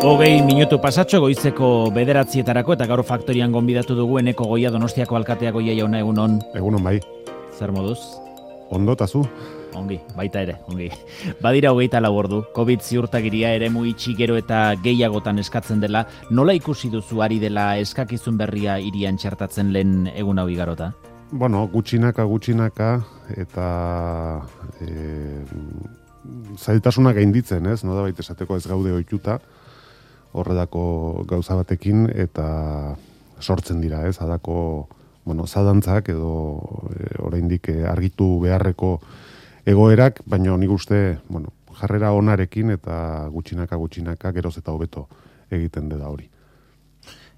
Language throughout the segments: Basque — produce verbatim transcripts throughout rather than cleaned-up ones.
Hogei minutu pasatxo goizeko bederatzietarako eta gaur faktorian gonbidatu dugu Eneko Goia Donostiako alkatea. Goia jauna, egunon. Egunon bai. Zer moduz? Ondo tazu? Ongi, baita ere, ongi. Badira hogeita lau ordu, Covid ziurtagiria eremu itxi gero eta gehiagotan eskatzen dela. Nola ikusi duzu ari dela eskakizun berria hirian txertatzen lehen egun hau igarota? Bueno, gutxinaka, gutxinaka eta e, zailtasunak gainditzen, ez? No da baita esateko ez gaude ohituta horredako gauza batekin eta sortzen dira, ez? Adako, bueno, zadantzak edo e, oraindik argitu beharreko egoerak, baina nik uste, bueno, jarrera onarekin eta gutxinaka gutxinaka geroz eta hobeto egiten dela hori.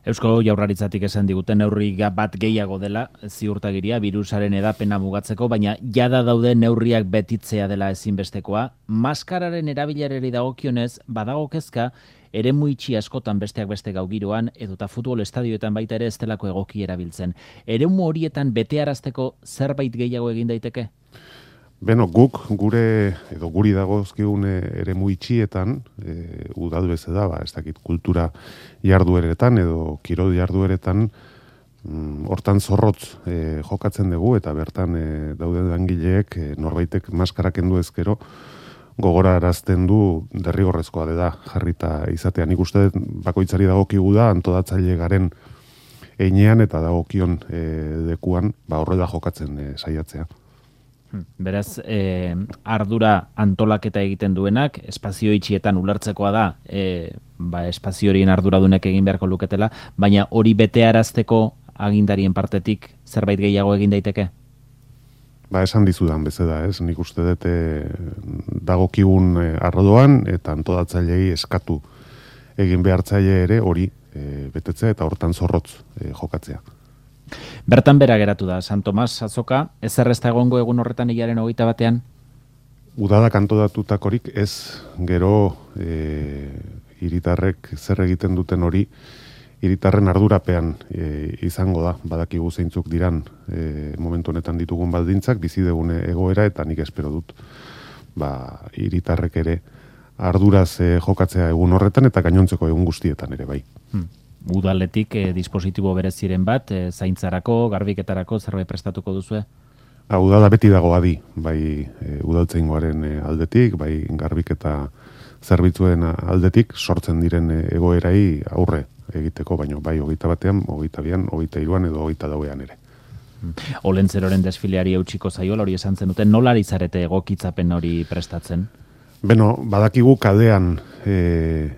Eusko Jaurlaritzatik esan diguten neurri bat gehiago dela ziurtagiria birusaren edapena mugatzeko, baina jada daude neurriak betitzea dela ezinbestekoa. Maskararen erabilerari dagokionez badago kezka eremu itxi askotan besteak beste gau giroan edota futbol estadioetan baita ere ez delako egoki erabiltzen. Eremu horietan betearazteko zerbait gehiago egin daiteke? Beno, guk gure edo guri dagozkigun eremu itxietan, e, udal beze da, ba, ez dakit kultura jardueretan edo kirol jardueretan, mm, hortan zorrotz e, jokatzen dugu eta bertan e, dauden langileek e, norbaitek maskara kendu ezkero gogorarazten du derrigorrezkoa dela jarrita izatea. Nik uste bakoitzari dagokigu da antolatzaile garen einean eta dagokion e, lekuan ba horrela jokatzen e, saiatzea. Beraz, eh, ardura antolaketa egiten duenak, espazio itxietan ulertzekoa da, eh, ba, espazio horien arduradunek egin beharko luketela, baina hori betearazteko agindarien partetik zerbait gehiago egin daiteke? Ba, esan dizudan bezala, ez? Nik uste dut e, dagokigun e, ardoan eta antolatzailei eskatu egin behartzaile ere hori e, betetzea eta hortan zorrotz e, jokatzea. Bertan bera geratu da, San Tomas azoka, ez errezta egongo egun horretan hilaren hogeita batean? Udadak antolatutakorik ez, gero e, hiritarrek zer egiten duten hori, hiritarren ardurapean e, izango da, badakigu zeintzuk diran e, momentu honetan ditugun baldintzak, bizi degune egoera eta nik espero dut, ba, hiritarrek ere arduraz e, jokatzea egun horretan eta gainontzeko egun guztietan ere bai. Hmm. Udaletik eh, dispositibo bereziren bat, eh, zaintzarako, garbiketarako, zerbait prestatuko duzue? Ha, udala beti dago adi, bai e, udaltzaingoaren e, aldetik, bai garbiketa zerbitzuen aldetik, sortzen diren e, egoerai aurre egiteko, baino bai hogeita batean, hogeita bian, hogeita iruan edo hogeita dauean ere. Olentzeroren desfileari eutxiko zaiola hori esan zenuten, nola ari zarete egokitzapen hori prestatzen? Beno, badakigu kadean e,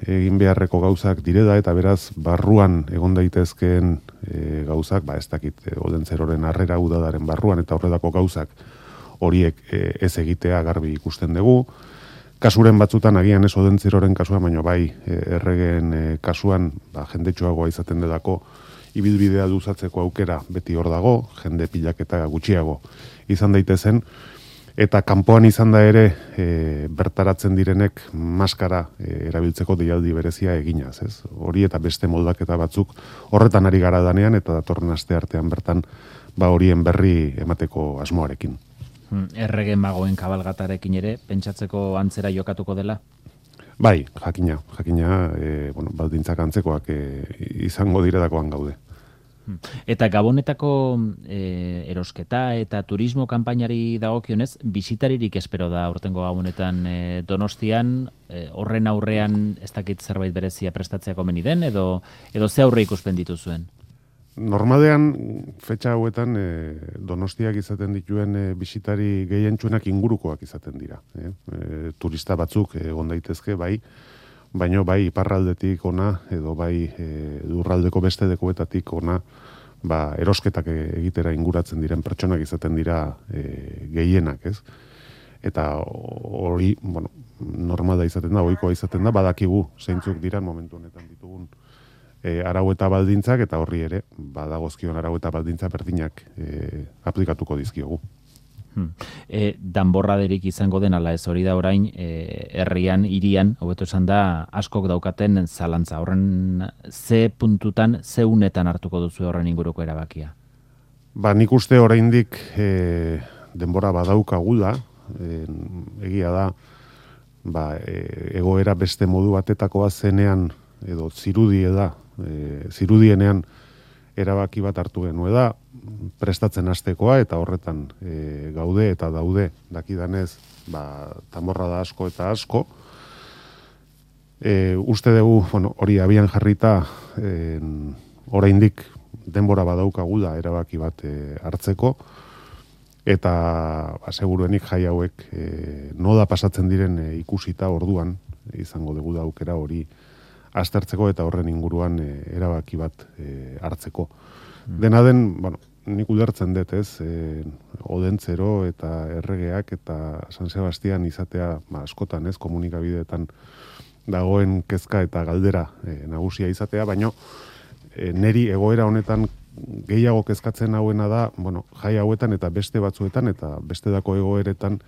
egin beharreko gauzak direda eta beraz barruan egon daitezkeen e, gauzak, ba ez dakit e, Olentzeroren harrera udadaren barruan eta horrelako gauzak horiek e, ez egitea garbi ikusten dugu. Kasuren batzutan agian ez Olentzeroren kasuan, baina bai e, erregen e, kasuan ba, jendetxoagoa izaten delako ibilbidea luzatzeko aukera beti hor dago, jende pilaketa gutxiago izan daitezen. Eta kanpoan izan da ere e, bertaratzen direnek maskara e, erabiltzeko deialdi berezia eginaz, ez? Hori eta beste moldaketa batzuk horretan ari gara danean eta datorren aste artean bertan ba horien berri emateko asmoarekin. Errege magoen kabalgatarekin ere pentsatzeko antzera jokatuko dela? Bai, jakina, jakina, e, bueno, baldintzak antzekoak e, izango diretakoan gaude. Eta Gabonetako e, erosketa eta turismo kanpainari dagokionez, bisitaririk espero da aurtengo Gabonetan e, Donostian, e, horren aurrean ez dakit zerbait berezia prestatzea komeni den, edo, edo ze aurre ikuspen dituzuen? Normalean, fetxa hauetan, e, Donostiak izaten dituen e, bisitari gehientsuenak ingurukoak izaten dira. E, e, turista batzuk egon daitezke, bai, baino bai iparraldetik ona edo bai e, lurraldeko beste lekuetatik ona ba, erosketak egitera inguratzen diren pertsonak izaten dira e, gehienak, ez? Eta hori, bueno, normala izaten da, ohikoa izaten da, badakigu zeintzuk diran momentu honetan ditugun e, arau eta baldintzak eta horri ere badagozkion arau eta baldintza berdinak e, aplikatuko dizkiogu. Hmm. E, danborraderik izango den ala ez hori da orain e, herrian, hirian, hobeto esan da, askok daukaten zalantza. Horren ze puntutan, ze unetan hartuko duzu horren inguruko erabakia? Ba, nik uste oraindik e, denbora badaukagula, e, egia da, ba, e, egoera beste modu batetakoa zenean edo zirudie da, e, zirudienean erabaki bat hartu genue da, prestatzen hastekoa eta horretan e, gaude eta daude dakidanez, ba, tamorra da asko eta asko. E, uste dugu, bueno, hori abian jarrita, e, oraindik denbora badaukagu da erabaki bat e, hartzeko, eta aseguruenik jai hauek e, noda pasatzen diren e, ikusita orduan, izango dugu da aukera hori aztertzeko eta horren inguruan e, erabaki bat e, hartzeko. Mm. Dena den, bueno, nik ulertzen dut, ez, e, Odentzero eta erregeak eta San Sebastian izatea, ba, askotan, ez, komunikabideetan dagoen kezka eta galdera e, nagusia izatea, baino e, neri egoera honetan gehiago kezkatzen hauena da, bueno, jai hauetan eta beste batzuetan eta beste dako egoeretan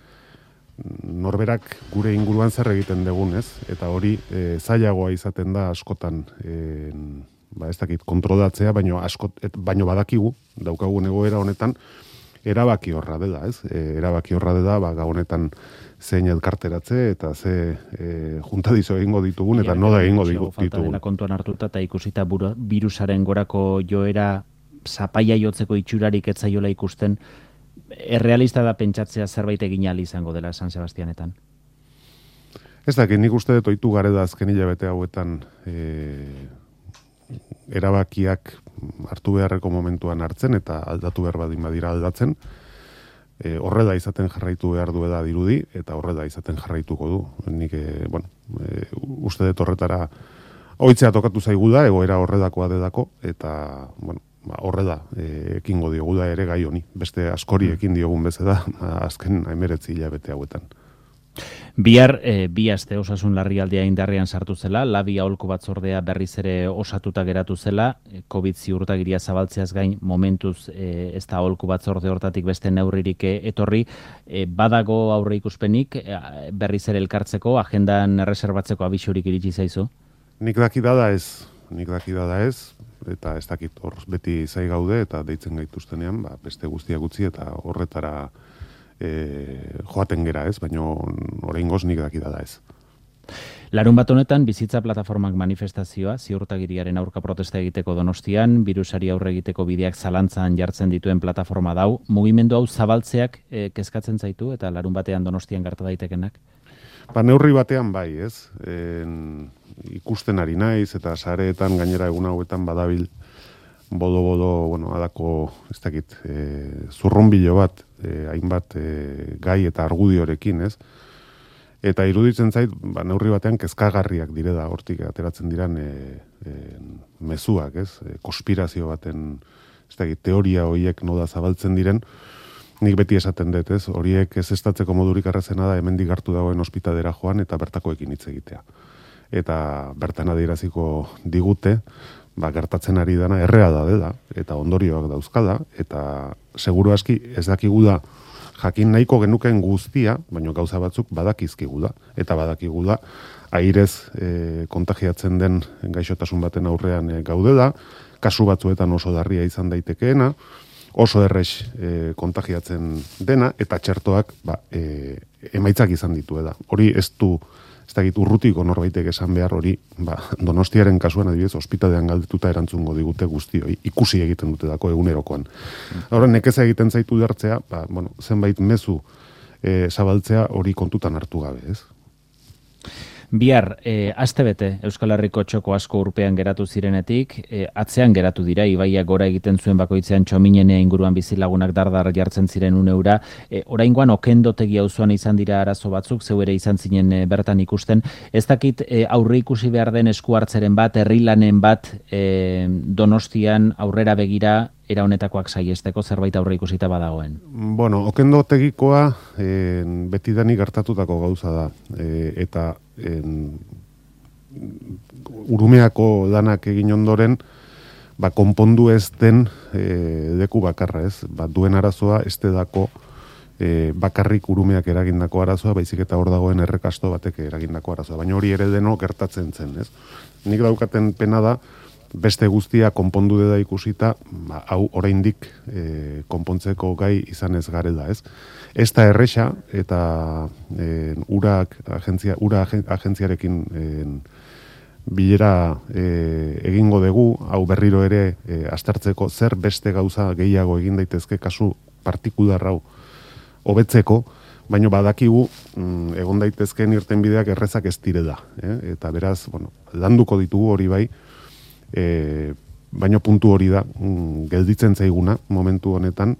norberak gure inguruan zer egiten dugun, ez? Eta hori e, zailagoa izaten da askotan e, ba, ez dakit kontrolatzea, baino, askot, et, baino badakigu, daukagun egoera honetan, erabaki horra dela, ez? E, erabaki horra dela, ba, honetan zein elkarteratze eta ze e, juntadizo egingo ditugun eta noda egingo ditugun. Falta dela kontuan hartuta eta ikusita buru, virusaren gorako joera zapaia jotzeko itxurarik etzaiola ikusten, errealista da pentsatzea zerbait egin ahal izango dela San Sebastianetan? Ez dakit, nik uste dut ohitu gare da azken hilabete hauetan e, erabakiak hartu beharreko momentuan hartzen eta aldatu behar badin badira aldatzen. E, horrela izaten jarraitu behar du da dirudi eta horrela izaten jarraituko du. Nik, e, bueno, e, uste dut horretara ohitzea tokatu zaigu da, egoera horredakoa dedako, eta, bueno, horre da, e, ekingo diogu da ere gai honi. Beste askori ekin diogun beze da, azken hemeretzi hilabete hauetan. Bihar, e, bi aste osasun larrialdia indarrean sartu zela, labi aholku batzordea berriz ere osatuta geratu zela, COVID ziurtagiria zabaltzeaz gain momentuz e, ez da aholku batzorde hortatik beste neurririk etorri, e, badago aurre ikuspenik e, berriz ere elkartzeko, agendan erreserbatzeko abisurik iritsi zaizu? Nik dakida da ez, nik dakida da ez, eta ez dakit hor beti zai gaude eta deitzen gaituztenean, ba, beste guztiak utzi eta horretara e, joaten gera ez, baina oraingoz nik dakida da ez. Larun bat honetan, bizitza plataformak manifestazioa, ziurtagiriaren aurka protesta egiteko Donostian, birusari aurre egiteko bideak zalantzan jartzen dituen plataforma dau, mugimendu hau zabaltzeak e, kezkatzen zaitu eta larun batean Donostian gerta daitekenak? Ba, neurri batean bai, ez? En, ikusten ari naiz eta sareetan gainera egun hauetan badabil bodo-bodo, bueno, adako, ez dakit, e, zurrunbilo bat, e, hainbat e, gai eta argudiorekin, ez? Eta iruditzen zait, ba, neurri batean kezkagarriak dire da, hortik ateratzen diran e, e, mezuak, ez? E, konspirazio baten, ez dakit, teoria horiek noda zabaltzen diren, nik beti esaten dut, ez? Horiek ez estatzeko modurik arrazena da hemendik hartu dagoen ospitalera joan eta bertakoekin hitz egitea. Eta bertan adieraziko digute, ba, gertatzen ari dana erreala dela eta ondorioak dauzkala eta seguru aski ez dakigu da jakin nahiko genuken guztia, baina gauza batzuk badakizkigu da eta badakigu da airez e, kontagiatzen den gaixotasun baten aurrean e, gaudela, kasu batzuetan oso darria izan daitekeena, oso errex e, kontagiatzen dena, eta txertoak ba, e, emaitzak izan dituela. Hori ez du, ez dakit urrutiko norbaitek esan behar hori, ba, Donostiaren kasuan adibidez, ospitalean galdetuta erantzungo digute guztioi, ikusi egiten dute dako egunerokoan. Horren, nekeza egiten zaitu dertzea, ba, bueno, zenbait mezu e, zabaltzea hori kontutan hartu gabe, ez? Bihar, e, astebete Euskal Herriko txoko asko urpean geratu zirenetik, e, atzean geratu dira, ibaiak gora egiten zuen bakoitzean txominenea inguruan bizilagunak dardar jartzen ziren uneura, e, oraingoan okendotegi auzoan izan dira arazo batzuk, zeu ere izan zinen e, bertan ikusten, ez dakit e, aurre ikusi behar den esku hartzeren bat, herrilanen bat, e, Donostian aurrera begira, era honetakoak saiesteko zerbait aurre ikusita badagoen? Bueno, okendotegikoa e, betidanik gertatutako gauza da, e, eta en, Urumeako danak egin ondoren, ba, konpondu ez den e, leku bakarra, ez? Ba, duen arazoa ez dako e, bakarrik Urumeak eragindako arazoa, baizik eta hor dagoen errekasto batek eragindako arazoa. Baina hori ere deno gertatzen zen, ez? Nik daukaten pena da, beste guztia konpondu deda ikusita, ba, hau oraindik e, konpontzeko gai izan ez garela, ez? Ez da erresa, eta e, urak agentzia, ura agentziarekin e, bilera e, egingo dugu, hau berriro ere e, aztertzeko zer beste gauza gehiago egin daitezke kasu partikular hau hobetzeko, baina badakigu mm, egon daitezkeen irtenbideak errezak ez dire da. Eh? Eta beraz, bueno, landuko ditugu hori bai, e, baina puntu hori da, mm, gelditzen zaiguna momentu honetan,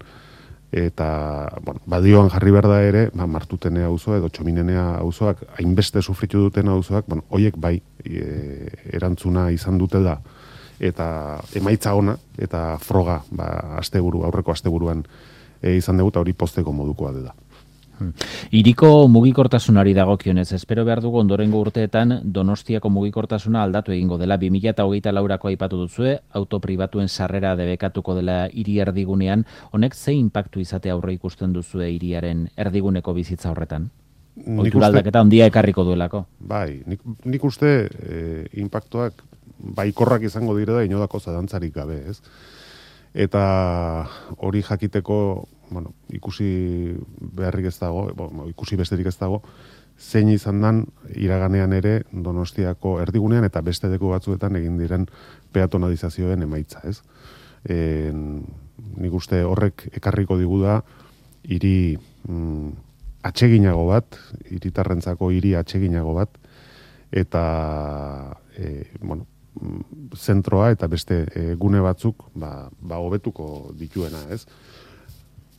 eta bueno, badioan jarri behar da ere, ba, Martutenea auzoa edo Txominenea auzoak, hainbeste sufritu duten auzoak, bueno, hoiek bai e, erantzuna izan dute da, eta emaitza ona, eta froga, ba, asteburu, aurreko asteburuan e, izan dugu, eta hori posteko modukoa dela. Hiriko mugikortasunari dagokionez, espero behar dugu ondorengo urteetan Donostiako mugikortasuna aldatu egingo dela. bi mila hogeita laurako aipatu duzue, auto pribatuen sarrera debekatuko dela hiri erdigunean, honek ze inpaktu izate aurre ikusten duzue hiriaren erdiguneko bizitza horretan? Ohitura aldaketa handia ekarriko duelako. Bai, nik, nik uste e, inpaktuak baikorrak izango dire da inodako zadantzarik gabe, ez? Eta hori jakiteko, bueno, ikusi beharrik ez dago, bueno, ikusi besterik ez dago, zein izan dan iraganean ere Donostiako erdigunean eta beste leku batzuetan egin diren peatonalizazioen emaitza, ez? E, nik uste horrek ekarriko digu da hiri mm, atseginago bat, hiritarrentzako hiri atseginago bat, eta e, bueno, zentroa eta beste e, gune batzuk ba, ba hobetuko dituena, ez?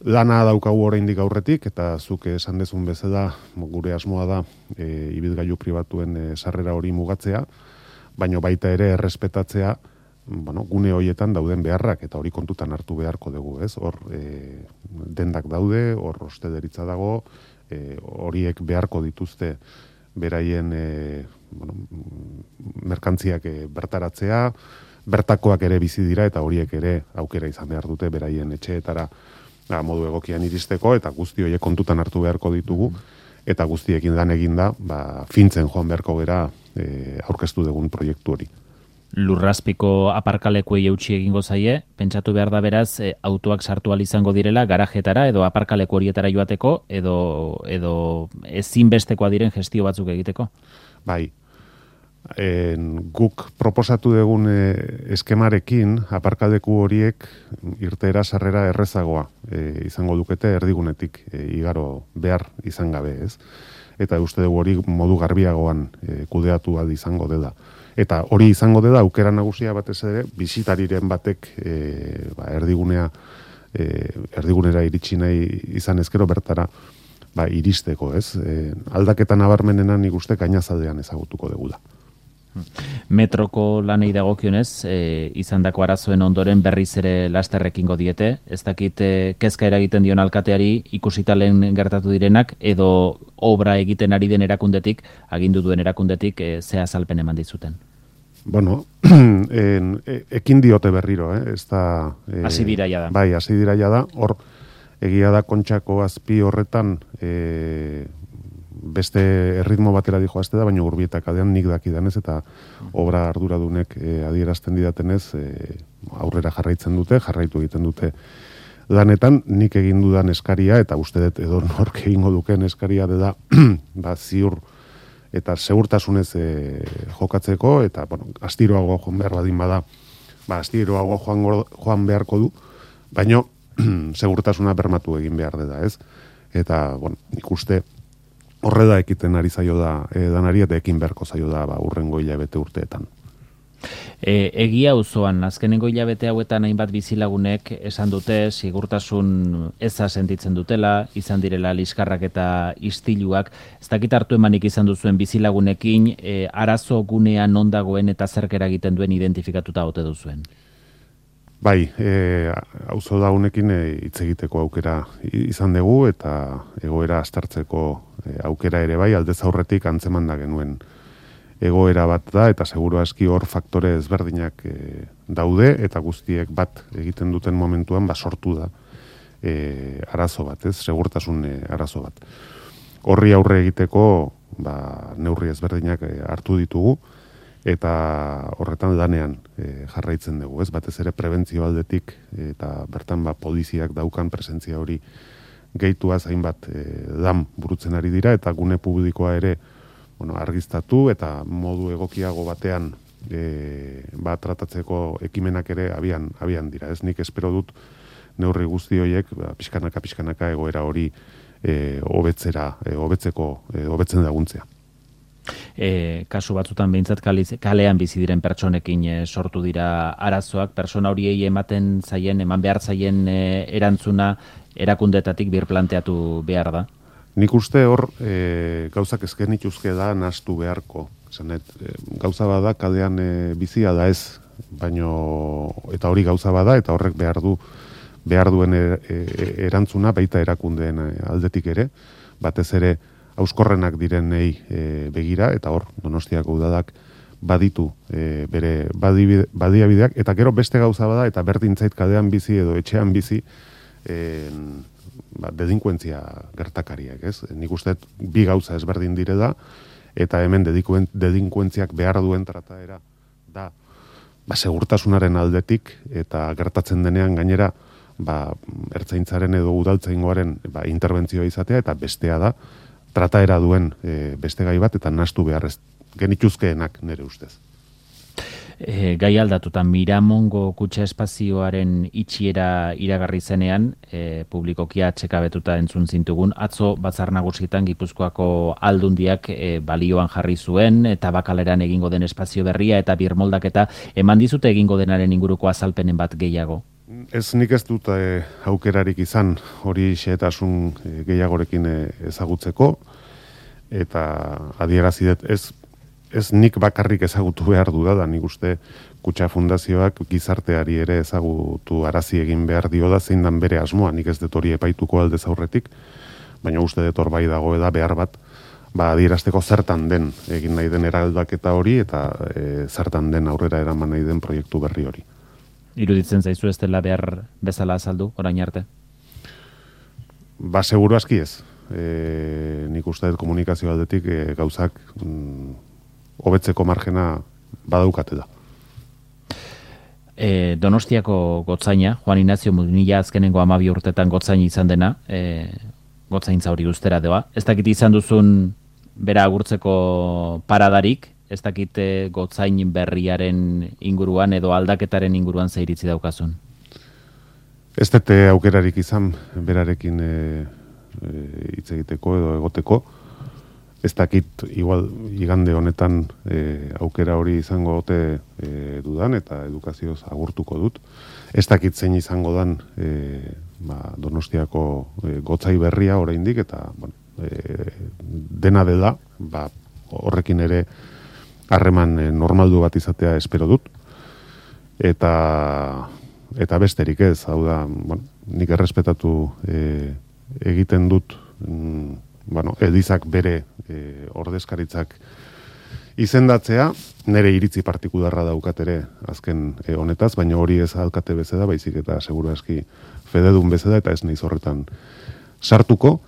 Lana daukagu oraindik aurretik, eta zuk esan dezun bezala gure asmoa da e, ibilgailu pribatuen e, sarrera hori mugatzea, baino baita ere errespetatzea, bueno, gune horietan dauden beharrak, eta hori kontutan hartu beharko dugu, ez? Hor e, dendak daude, hor hosteleritza dago, e, horiek beharko dituzte beraien e, bueno, merkantziak e, bertaratzea, bertakoak ere bizi dira, eta horiek ere aukera izan behar dute beraien etxeetara da, modu egokian iristeko, eta guzti horiek kontutan hartu beharko ditugu, eta guztiekin lan eginda, ba, fintzen joan beharko gera e, aurkeztu dugun proiektu hori. Lurrazpiko aparkalekuei eutsi egingo zaie, pentsatu behar da beraz, e, autoak sartu ahal izango direla garajetara edo aparkaleku horietara joateko, edo, edo ezinbestekoa diren gestio batzuk egiteko? Bai, en, guk proposatu dugun e, eskemarekin aparkaleku horiek irteera sarrera errezagoa e, izango dukete erdigunetik e, igaro behar izan gabe, ez? Eta uste dugu hori modu garbiagoan e, kudeatu ahal izango dela. Eta hori izango dela aukera nagusia batez ere bisitariren batek e, ba, erdigunea e, erdigunera iritsi nahi izan ezkero bertara ba, iristeko, ez? E, aldaketa nabarmenena nik uste gainazaldean ezagutuko degula. Metroko lanei dagokionez, e, izandako arazoen ondoren berriz ere lasterrekingo diete, ez dakit e, kezka eragiten dion alkateari ikusita lehen gertatu direnak, edo obra egiten ari den erakundetik, agindu duen erakundetik, e, ze azalpen eman dizuten? Bueno, en, e, ekin diote berriro, eh? Ez da... E, hasi dira jada. Bai, hasi dira jada, hor, egia da Kontxako azpi horretan, e, beste erritmo batera dijoazte da, baina Urbieta kadean nik dakidanez, eta obra arduradunek e, adierazten didatenez, e, aurrera jarraitzen dute, jarraitu egiten dute lanetan, nik egin dudan eskaria, eta uste dut edo nork egingo duken eskaria dela, ba, ziur eta segurtasunez e, jokatzeko, eta, bueno, astiroago joan behar badin bada, ba, astiroago joan, joan beharko du, baina segurtasuna bermatu egin behar dela, ez? Eta, bueno, nik uste horrela ekiten ari zaio da e, danari, eta ekin beharko zaio da ba, urrengo hilabete urteetan. E, egia auzoan azkenengo hilabete hauetan hainbat bizilagunek esan dute sigurtasun eza sentitzen dutela, izan direla liskarrak eta istiluak. Ez dakit hartu emanik izan duzuen bizilagunekin, e, arazo gunean non dagoen eta zerk eragiten duen identifikatuta ote duzuen? Bai, e, auzo daunekin hitz e, egiteko aukera izan dugu, eta egoera aztertzeko e, aukera ere bai, aldez aurretik antzeman da genuen egoera bat da, eta seguru aski hor faktore ezberdinak e, daude, eta guztiek bat egiten duten momentuan ba, sortu da e, arazo bat, ez, segurtasun e, arazo bat. Horri aurre egiteko ba, neurri ezberdinak e, hartu ditugu, eta horretan lanean e, jarraitzen dugu, ez? Batez ere prebentzio aldetik, eta bertan ba, poliziak daukan presentzia hori gehitua zainbat e, lan burutzen ari dira, eta gune publikoa ere bueno, argiztatu eta modu egokiago batean e, ba, tratatzeko ekimenak ere abian, abian dira. Ez nik espero dut neurri guzti horiek ba, pixkanaka pixkanaka egoera hori e, hobetzera, e, hobetzeko, e, hobetzen laguntzea. E, kasu batzutan behintzat kalean bizi diren pertsonekin e, sortu dira arazoak, pertsona horiei ematen zaien, eman behar zaien e, erantzuna erakundetatik birplanteatu behar da? Nik uste hor e, gauzak ezken ituzke da nahastu beharko. Zanet, e, gauza bada kalean e, bizia da ez, baino eta hori gauza bada eta horrek behar du behar duen e, e, erantzuna baita erakundeen aldetik ere, batez ere auskorrenak direnei e, begira, eta hor, Donostiako udadak baditu e, bere badiabideak, eta gero beste gauza bada, eta berdin zait kalean bizi edo etxean bizi, e, ba, delinkuentzia gertakariak, ez? Nik uste bi gauza ezberdin dire da, eta hemen delinkuentziak behar duen trataera da, ba, segurtasunaren aldetik, eta gertatzen denean gainera, ba, ertzaintzaren edo udaltzaingoaren ba, interbentzioa izatea, eta bestea da, trataera duen e, beste gai bat, eta nahastu behar ez genituzkeenak nire ustez. E, gai aldatuta, Miramongo kutxa espazioaren itxiera iragarri zenean, e, publikokia txekabetuta entzun zintugun, atzo batzar nagusietan Gipuzkoako aldundiak e, balioan jarri zuen, eta bakaleran egingo den espazio berria, eta birmoldaketa eman dizute egingo denaren inguruko azalpenen bat gehiago. Ez nik ez dut e, aukerarik izan hori xehetasun e, gehiagorekin e, ezagutzeko, eta adierazi dut ez, ez nik bakarrik ezagutu behar du da, nik uste Kutxa Fundazioak gizarteari ere ezagutu arazi egin behar dio da, zein dan bere asmoa, nik ez dut hori epaituko aldez aurretik, baina uste dut hor bai dago eda behar bat, ba adierazteko zertan den egin nahi den eraldaketa hori, eta e, zertan den aurrera eraman nahi den proiektu berri hori. Iruditzen zaizu ez dela behar bezala azaldu, orain arte? Ba, seguru aski ez. E, nik uste dut komunikazio aldetik e, gauzak mm, hobetzeko margena badaukate da. E, Donostiako gotzaina, Juan Ignacio Munilla azkenengo hamabi urtetan gotzain izan dena, e, gotzaintza hori ustera doa. Ez dakit izan duzun bera agurtzeko paradarik, ez dakite gotzain berriaren inguruan edo aldaketaren inguruan zeiritzi daukazun? Ez dute aukerarik izan berarekin e, e, hitz egiteko edo egoteko. Ez dakit igual igande honetan e, aukera hori izango ote e, dudan eta edukazioz agurtuko dut. Ez dakit zein izango dan e, ba, Donostiako e, gotzai berria oraindik eta bueno, e, dena dela ba, horrekin ere harreman normaldu bat izatea espero dut, eta eta besterik ez, hau da, bueno, nik errespetatu e, egiten dut, mm, bueno, edizak bere e, ordezkaritzak izendatzea, nire iritzi partikularra daukat ere azken e, honetaz, baina hori ez alkate bezeda, baizik eta seguru aski fededun bezeda, eta ez naiz horretan sartuko,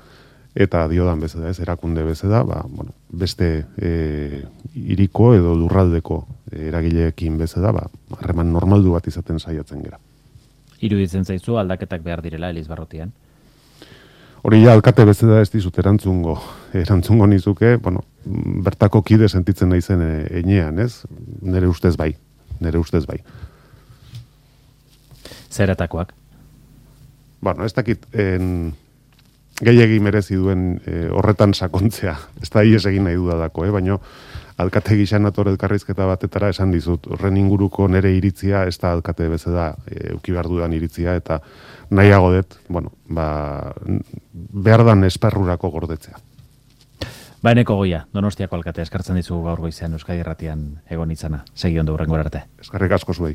eta diodan bezeda ez, erakunde bezeda, ba, bueno, beste e, iriko edo lurraldeko e, eragileekin bezeda, ba, harreman normaldu bat izaten saiatzen gera. Iruditzen zaizu aldaketak behar direla Elizbarrutian? Hori ja, alkate bezeda ez dizut erantzungo, erantzungo nizuke, bueno, bertako kide sentitzen naizen e, enean, ez? Nere ustez bai, nere ustez bai. Zeratakoak? Bueno, ez dakit, en... gehiegi merezi duen e, horretan sakontzea. Ez da ies egin nahi dudadako, eh? Baina alkate gixan ator elkarrizketa batetara esan dizut. Horren inguruko nere iritzia, ez da alkate bezala e, euki behar dudan iritzia, eta nahiago dut, bueno, ba, behar dan esparrurako gordetzea. Baeneko Goia, Donostiako alkate eskartzen dizugu gaur goizean Euskadi Irratian egon itzana. Segi ondo hurrengo arte. Eskerrik asko zuei.